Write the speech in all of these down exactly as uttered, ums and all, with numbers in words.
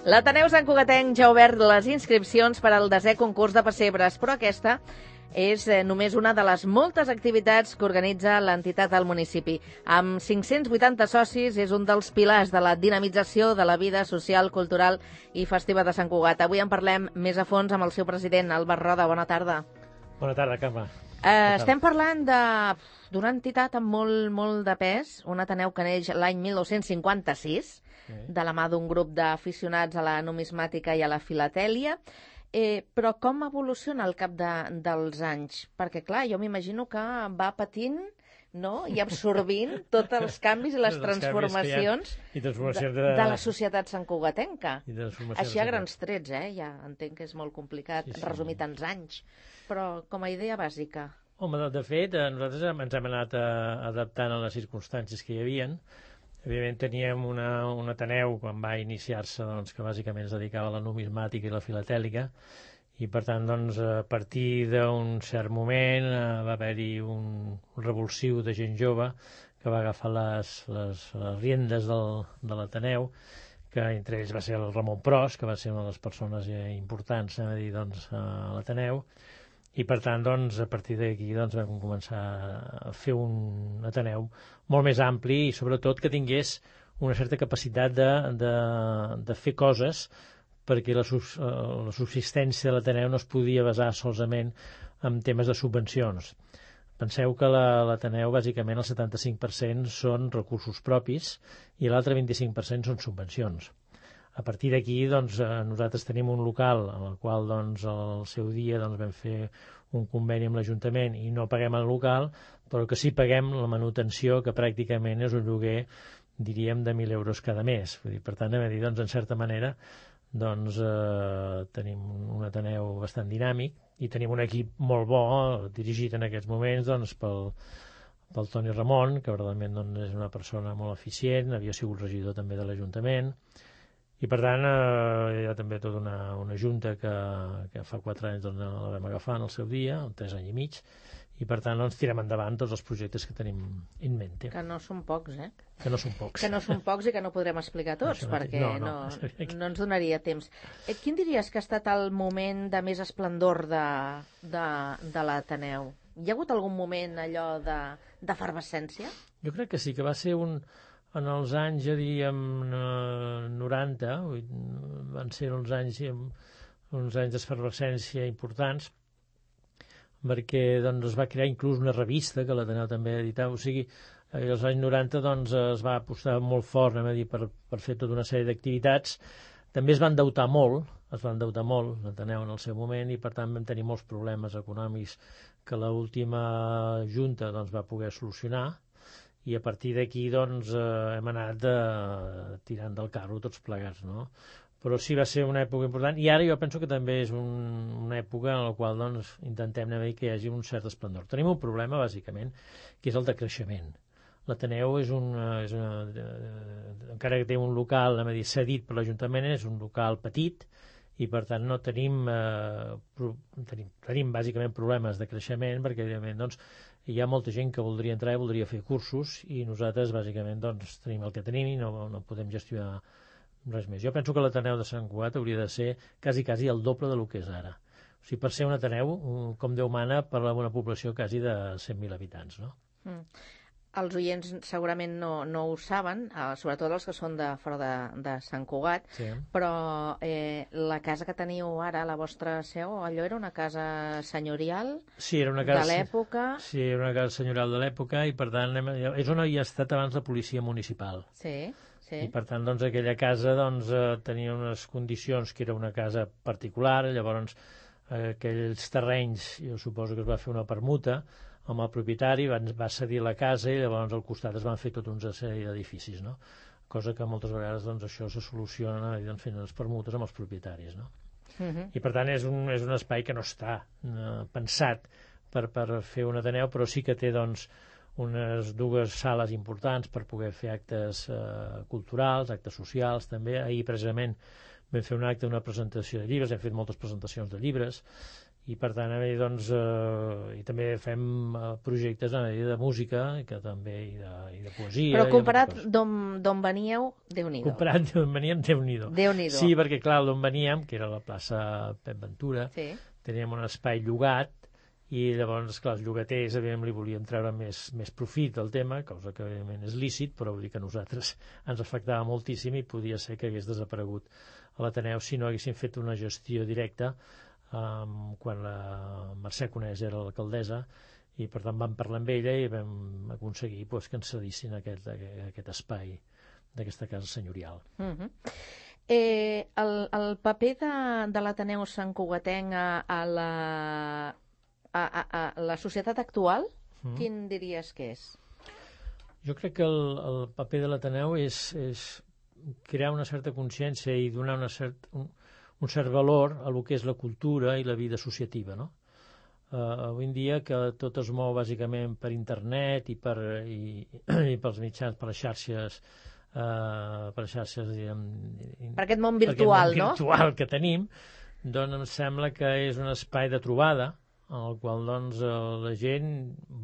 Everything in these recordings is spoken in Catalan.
L'Ateneu Sant Cugatenc ja ha obert les inscripcions per al desè concurs de pessebres, però aquesta és només una de les moltes activitats que organitza l'entitat al municipi. Amb cinc-cents vuitanta socis, és un dels pilars de la dinamització de la vida social, cultural i festiva de Sant Cugat. Avui en parlem més a fons amb el seu president, Albert Roda. Bona tarda. Bona tarda, Carme. Eh, estem parlant d'una entitat amb molt, molt de pes, un Ateneu que neix l'any mil nou-cents cinquanta-sis, de la mà d'un grup d'aficionats a la numismàtica i a la filatèlia. Eh, però com evoluciona al cap de, dels anys? Perquè, clar, jo m'imagino que va patint, no?, i absorbint tots els canvis i les transformacions, I transformacions de, de... de la societat santcugatenca. I de transformacions Així a de- grans trets, eh? Ja entenc que és molt complicat Sí, sí. resumir tants anys, però com a idea bàsica. Home, de, de fet, eh, nosaltres hem- ens hem anat eh, adaptant a les circumstàncies que hi havien. Evidentment teníem una, un Ateneu, quan va iniciar-se, doncs, que bàsicament es dedicava a la numismàtica i la filatèlica, i per tant, doncs, a partir d'un cert moment eh, va haver-hi un, un revulsiu de gent jove que va agafar les, les, les riendes del, de l'Ateneu, que entre ells va ser el Ramon Pros, que va ser una de les persones eh, importants, anem a dir, doncs, a l'Ateneu, i per tant, doncs, a partir d'aquí doncs, vam començar a fer un Ateneu molt més ampli i sobretot que tingués una certa capacitat de, de, de fer coses, perquè la, sus, eh, la subsistència de l'Ateneu no es podia basar solament en temes de subvencions. Penseu que la- l'Ateneu, bàsicament, el setanta-cinc per cent són recursos propis i l'altre vint-i-cinc per cent són subvencions. A partir d'aquí, doncs, eh, nosaltres tenim un local en el qual, doncs, al seu dia doncs, vam fer un conveni amb l'Ajuntament i no paguem el local, però que sí paguem la manutenció, que pràcticament és un lloguer, diríem, de mil euros cada mes. Vull dir, per tant, anem a dir, doncs, en certa manera, doncs, eh, tenim un Ateneu bastant dinàmic i tenim un equip molt bo, dirigit en aquests moments doncs, pel, pel Toni Ramon, que verdaderament doncs, és una persona molt eficient, havia sigut regidor també de l'Ajuntament, i per tant eh, hi ha també tota una, una junta que, que fa quatre anys doncs, la vam agafar en el seu dia, tres anys i mig, i per tant doncs, tirem endavant tots els projectes que tenim in mente. Que no són pocs, eh? Que no són pocs. Que no són pocs i que no podrem explicar tots, Això no- perquè no, no, no. no ens donaria temps. Eh, quin diries que ha estat el moment de més esplendor de, de, de l'Ateneu? Hi ha hagut algun moment allò de d'efervescència? Jo crec que sí, que va ser un... En els anys, ja diríem, eh, noranta, vull dir, van ser uns anys, eh, uns anys d'efervescència importants, perquè doncs, es va crear inclús una revista que l'Ateneu també editava. O sigui, eh, als anys noranta doncs, es va apostar molt fort, anem a dir, per, per fer tota una sèrie d'activitats. També es va endeutar molt, es va endeutar molt l'Ateneu en el seu moment, i per tant vam tenir molts problemes econòmics que l'última junta doncs, va poder solucionar, i a partir d'aquí doncs, eh, hem anat eh, tirant del carro tots plegats, no? Però sí va ser una època important, i ara jo penso que també és un, una època en la qual doncs, intentem anem a dir que hi hagi un cert esplendor. Tenim un problema, bàsicament, que és el de creixement. L'Ateneu és un... És una, eh, encara que té un local, anem a dir, cedit per l'Ajuntament, és un local petit, i per tant no tenim, eh, pro, tenim, tenim bàsicament problemes de creixement, perquè evidentment doncs, hi ha molta gent que voldria entrar i voldria fer cursos, i nosaltres bàsicament doncs, tenim el que tenim i no, no podem gestionar res més. Jo penso que l'Ateneu de Sant Cugat hauria de ser quasi, quasi el doble del que és ara. O sigui, per ser un Ateneu, un- com Déu mana, per una població quasi de cent mil habitants, no? Mm. Els oients segurament no, no ho saben, eh, sobretot els que són de fora de, de Sant Cugat, Sí. però eh, la casa que teniu ara, la vostra seu, allò era una casa senyorial Sí, era una de casa... l'època? Sí, era una casa senyorial de l'època, i per tant anem a- és on havia estat abans la policia municipal. Sí, sí. I per tant, doncs, aquella casa doncs, eh, tenia unes condicions que era una casa particular, llavors eh, aquells terrenys, jo suposo que es va fer una permuta amb el propietari, va, va cedir la casa i llavors al costat es van fer tota una sèrie d'edificis, no? Cosa que moltes vegades doncs, això se soluciona doncs, fent les permutes amb els propietaris, no? Uh-huh. I per tant és un, és un espai que no està eh, pensat per, per fer un Ateneu, però sí que té doncs, unes dues sales importants per poder fer actes eh, culturals, actes socials també. Ahir precisament vam fer un acte, una presentació de llibres, hem fet moltes presentacions de llibres, i per tant a mi, doncs, eh, i també fem eh, projectes a mi de música que també, i de, i de poesia. Però comparat d'on veníeu, Déu-n'hi-do. Comparat d'on veníem, Déu-n'hi-do. Déu-n'hi-do. Sí, perquè clar, d'on veníem, que era la plaça Pep Ventura, sí. Teníem un espai llogat, i llavors, clar, els llogaters, evidentment, li volien treure més, més profit al tema, cosa que, evidentment, és lícit, però vull dir que a nosaltres ens afectava moltíssim i podia ser que hagués desaparegut a l'Ateneu si no haguéssim fet una gestió directa um, quan la Mercè Conés era l'alcaldessa, i per tant vam parlar amb ella i vam aconseguir pues, que ens cedissin aquest, aquest espai d'aquesta casa senyorial. Uh-huh. eh, el, el paper de, de l'Ateneu santcugatenc a, a la... A, a, a la societat actual, mm. quin diries que és? Jo crec que el, el paper de l'Ateneu és, és crear una certa consciència i donar una cert, un, un cert valor a lo que és la cultura i la vida associativa, no? Uh, avui en dia que tot es mou bàsicament per internet i, per, i, i pels mitjans, per les xarxes, uh, per les xarxes diguem, per aquest món virtual, per aquest món no? virtual que tenim, doncs em sembla que és un espai de trobada en el qual doncs, la gent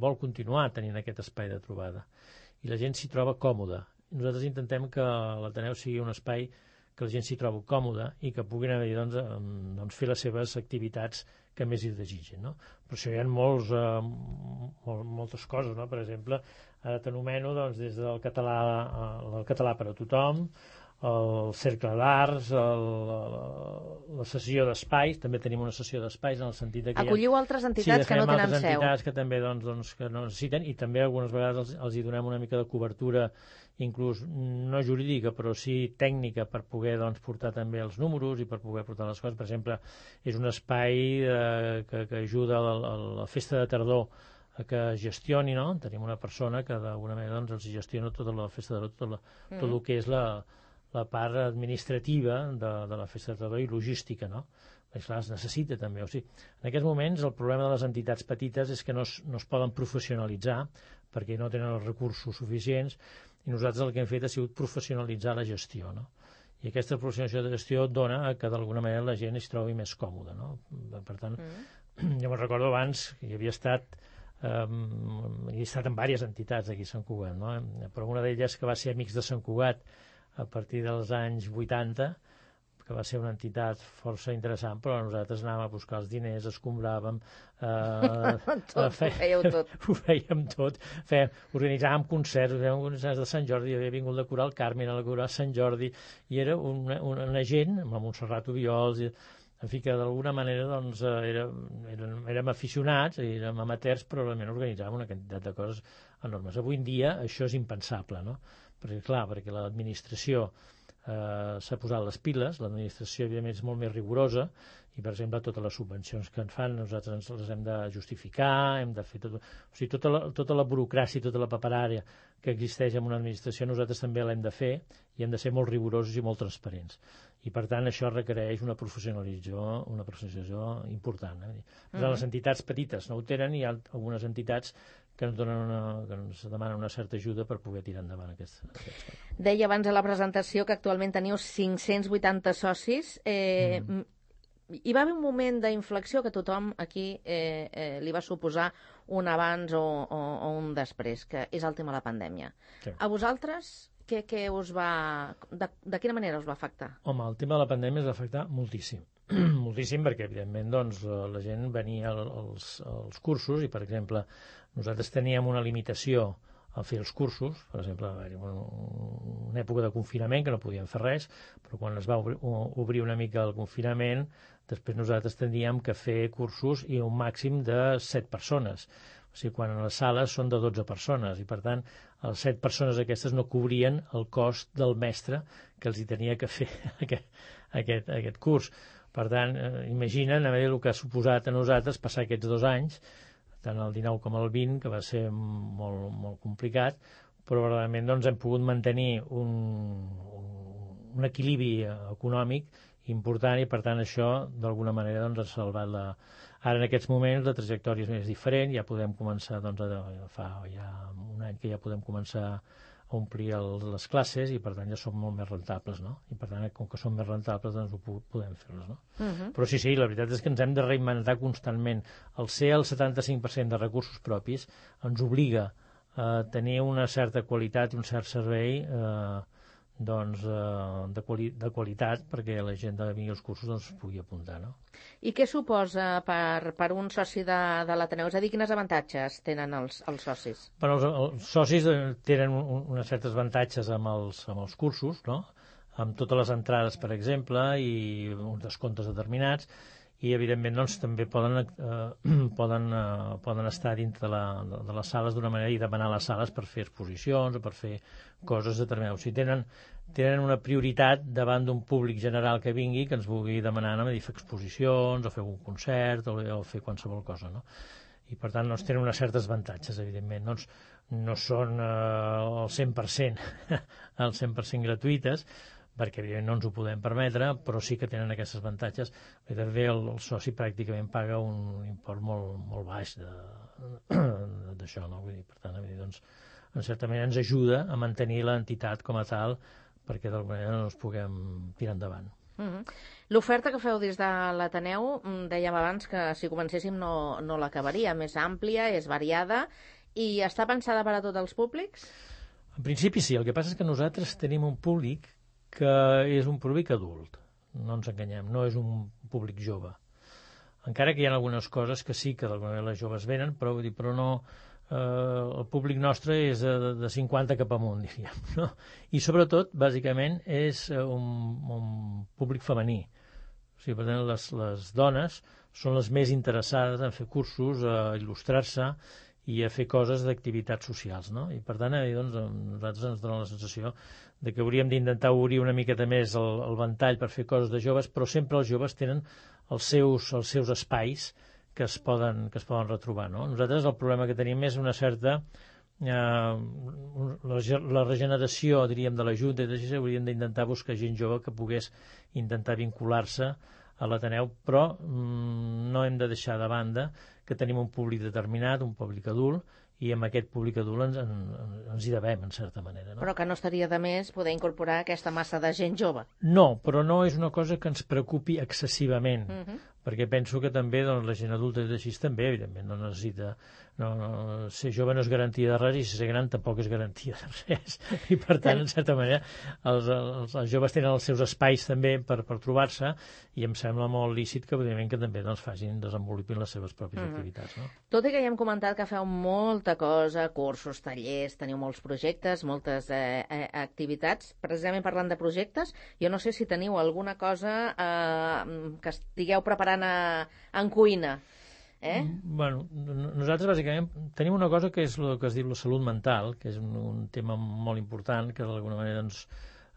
vol continuar tenint aquest espai de trobada i la gent s'hi troba còmoda. Nosaltres intentem que l'Ateneu sigui un espai que la gent s'hi trobi còmoda i que puguin haver, doncs, doncs, fer les seves activitats que més hi desitgin. No? Per això hi ha molts, eh, mol, moltes coses. No? Per exemple, ara t'anomeno doncs, des del català, el català per a tothom, el cercle d'arts, la, la sessió d'espais, també tenim una sessió d'espais en el sentit que acolliu ha... altres entitats sí, que no tenen altres seu. entitats que també doncs, doncs, que no necessiten, i també algunes vegades els, els hi donem una mica de cobertura, inclús no jurídica, però sí tècnica, per poder doncs, portar també els números i per poder portar les coses. Per exemple, és un espai eh, que, que ajuda a la, a la festa de tardor a que gestioni, no? Tenim una persona que d'alguna manera doncs, els gestiona tota la festa de tardor, tot, la, mm. tot el que és la la part administrativa de, de la festa de tardor i logística, no? Perquè, clar, es necessita també. O sigui, en aquests moments el problema de les entitats petites és que no es, no es poden professionalitzar perquè no tenen els recursos suficients, i nosaltres el que hem fet ha sigut professionalitzar la gestió, no? I aquesta professionalització de gestió dona que d'alguna manera la gent es trobi més còmoda, no? Per tant, mm. jo me'n recordo abans que hi havia estat um, he estat en diverses entitats aquí a Sant Cugat, no? Però una d'elles que va ser Amics de Sant Cugat a partir dels anys vuitanta, que va ser una entitat força interessant, però nosaltres anàvem a buscar els diners, escombràvem... Eh, tot, eh, fe... ho fèieu tot. Ho fèiem tot. Fèiem, organitzàvem concerts, fèiem concerts de Sant Jordi, havia vingut la coral Carmen a la coral Sant Jordi, i era una, una, una gent, amb Montserrat Obiols, i, en fi, que d'alguna manera doncs, era, érem, érem aficionats, érem amateurs, però realment organitzàvem una quantitat de coses enormes. Avui en dia això és impensable, no? Perquè, clar, perquè l'administració eh, s'ha posat les piles, l'administració, evidentment, és molt més rigorosa, i, per exemple, totes les subvencions que en fan, nosaltres ens les hem de justificar, hem de fer tot... O sigui, tota la, tota la burocràcia, tota la paperària que existeix en una administració, nosaltres també l'hem de fer, i hem de ser molt rigorosos i molt transparents. I, per tant, això requereix una professionalització, una professionalització important. Eh? Mm-hmm. Les entitats petites no ho tenen, i hi ha algunes entitats que ens, donen una, que ens demanen una certa ajuda per poder tirar endavant aquests... aquests... Deia abans a la presentació que actualment teniu cinc-cents vuitanta socis. Eh, mm. Hi va haver un moment d'inflexió que tothom aquí eh, eh, li va suposar un abans o, o, o un després, que és el tema de la pandèmia. Sí. A vosaltres, què, què us va... De, de quina manera us va afectar? Home, el tema de la pandèmia ens va afectar moltíssim. moltíssim perquè, evidentment, doncs, la gent venia als, als cursos i, per exemple, nosaltres teníem una limitació a fer els cursos. Per exemple, va haver una època de confinament que no podíem fer res, però quan es va obrir, obrir una mica el confinament, després nosaltres teníem que fer cursos i un màxim de set persones. O sigui, quan a les sales són de dotze persones, i per tant, les set persones aquestes no cobrien el cost del mestre que els hi tenia que fer aquest, aquest, aquest curs. Per tant, eh, imaginen a veure el que ha suposat a nosaltres passar aquests dos anys, tant el dinou com el vint, que va ser molt, molt complicat, però realment doncs, hem pogut mantenir un, un, un equilibri econòmic important, i per tant això d'alguna manera doncs, ha salvat la... Ara en aquests moments la trajectòria és més diferent, ja podem començar, doncs, a, fa ja un any que ja podem començar a omplir el, les classes i, per tant, ja són molt més rentables, no? I, per tant, com que són més rentables, doncs ho podem fer-les, no? Uh-huh. Però sí, sí, la veritat és que ens hem de reinventar constantment. El ser el setanta-cinc per cent de recursos propis ens obliga a tenir una certa qualitat i un cert servei eh, doncs, eh, de, quali de qualitat perquè la gent que vingui als cursos doncs, pugui apuntar, no? I què suposa per, per un soci de, de l'Ateneu? És a dir, quins avantatges tenen els, els socis? Bueno, els, els socis tenen un, uns certs avantatges amb els, amb els cursos, no? Amb totes les entrades, per exemple, i uns descomptes determinats, i evidentment doncs, també poden, eh, poden, eh, poden estar dintre de, la, de, de les sales d'una manera i demanar les sales per fer exposicions o per fer coses determinades. O sigui, tenen, tenen una prioritat davant d'un públic general que vingui que ens vulgui demanar a dir, fer exposicions o fer un concert o, o fer qualsevol cosa, no? I per tant doncs, tenen uns certs avantatges, evidentment. Doncs, no són eh, el cent per cent el cent per cent gratuïtes, perquè evidentment no ens ho podem permetre, però sí que tenen aquests avantatges. I també el, el soci pràcticament paga un import molt, molt baix d'això, no? Vull dir, per tant, doncs, en certa manera ens ajuda a mantenir l'entitat com a tal perquè d'alguna manera no ens puguem tirar endavant. Uh-huh. L'oferta que feu des de l'Ateneu, dèiem abans que si comencéssim no, no l'acabaria, més àmplia, és variada i està pensada per a tots els públics? En principi sí, el que passa és que nosaltres tenim un públic que és un públic adult, no ens enganyem, no és un públic jove. Encara que hi ha algunes coses que sí que d'alguna manera les joves venen, però, vull dir, però no, eh, el públic nostre és de, de cinquanta cap amunt, diríem, no? I sobretot, bàsicament, és un, un públic femení. O sigui, per tant, les, les dones són les més interessades en fer cursos, a il·lustrar-se i a fer coses d'activitats socials, no? I per tant, eh, doncs, a nosaltres ens dona la sensació de que hauríem d'intentar obrir una miqueta més el, el ventall per fer coses de joves, però sempre els joves tenen els seus, els seus espais que es poden, que es poden retrobar, no? Nosaltres el problema que tenim és una certa eh, la, la regeneració, diríem, de la Junta, i així hauríem d'intentar buscar gent jove que pogués intentar vincular-se a l'Ateneu, però mm, no hem de deixar de banda que tenim un públic determinat, un públic adult, i amb aquest públic adult ens, en, ens hi devem, en certa manera. No? Però que no estaria de més poder incorporar aquesta massa de gent jove. No, però no és una cosa que ens preocupi excessivament, uh -huh. perquè penso que també doncs, la gent adulta i així també, evidentment, no necessita... No, no, ser jove no és garantia de res i ser gran tampoc és garantia de res. I, per tant, en certa manera, els, els, els joves tenen els seus espais també per, per trobar-se i em sembla molt lícit que, evidentment, que també doncs, facin, desenvolupin les seves pròpies uh -huh. activitats. No? Tot i que ja hem comentat que feu molta cosa, cursos, tallers, teniu molts projectes, moltes eh, eh, activitats. Precisament parlant de projectes, jo no sé si teniu alguna cosa eh, que estigueu preparant a, en cuina. Eh? Bueno, nosaltres bàsicament tenim una cosa que és el que es diu la salut mental, que és un, un tema molt important, que d'alguna manera doncs,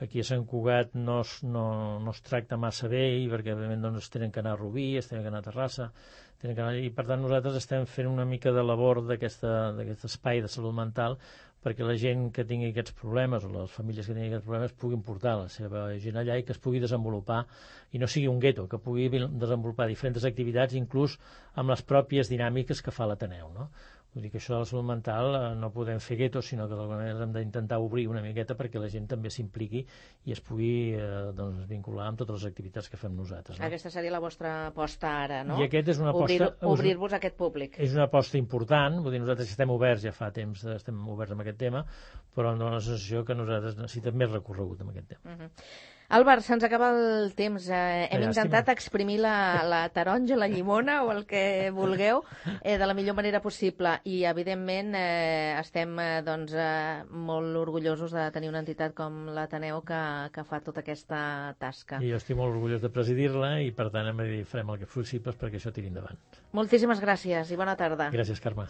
aquí a Sant Cugat no es, no, no es tracta massa bé i perquè òbviament doncs, es tenen que anar a Rubí, es tenen que anar a Terrassa, tenen que anar... i per tant nosaltres estem fent una mica de labor d'aquest espai de salut mental perquè la gent que tingui aquests problemes o les famílies que tinguin aquests problemes puguin portar la seva gent allà i que es pugui desenvolupar i no sigui un gueto, que pugui desenvolupar diferents activitats, inclús amb les pròpies dinàmiques que fa l'Ateneu, no? Vull dir que això de la salut mental eh, no podem fer guetos, sinó que d'alguna manera hem d'intentar obrir una miqueta perquè la gent també s'impliqui i es pugui eh, doncs, vincular amb totes les activitats que fem nosaltres. No? Aquesta seria la vostra aposta ara, no? I aquest és una aposta... Obrir-vos a aquest públic. És una aposta important, vull dir, nosaltres estem oberts, ja fa temps estem oberts amb aquest tema, però em dona la sensació que nosaltres necessitem més recorregut amb aquest tema. Uh -huh. Àlvar, se'ns acaba el temps. Eh, hem intentat exprimir la, la taronja, la llimona o el que vulgueu eh, de la millor manera possible i, evidentment, eh, estem eh, doncs, eh, molt orgullosos de tenir una entitat com l'Ateneu que, que fa tota aquesta tasca. I jo estic molt orgullós de presidir-la i, per tant, hem de dir, farem el que possible perquè això tiri endavant. Moltíssimes gràcies i bona tarda. Gràcies, Carme.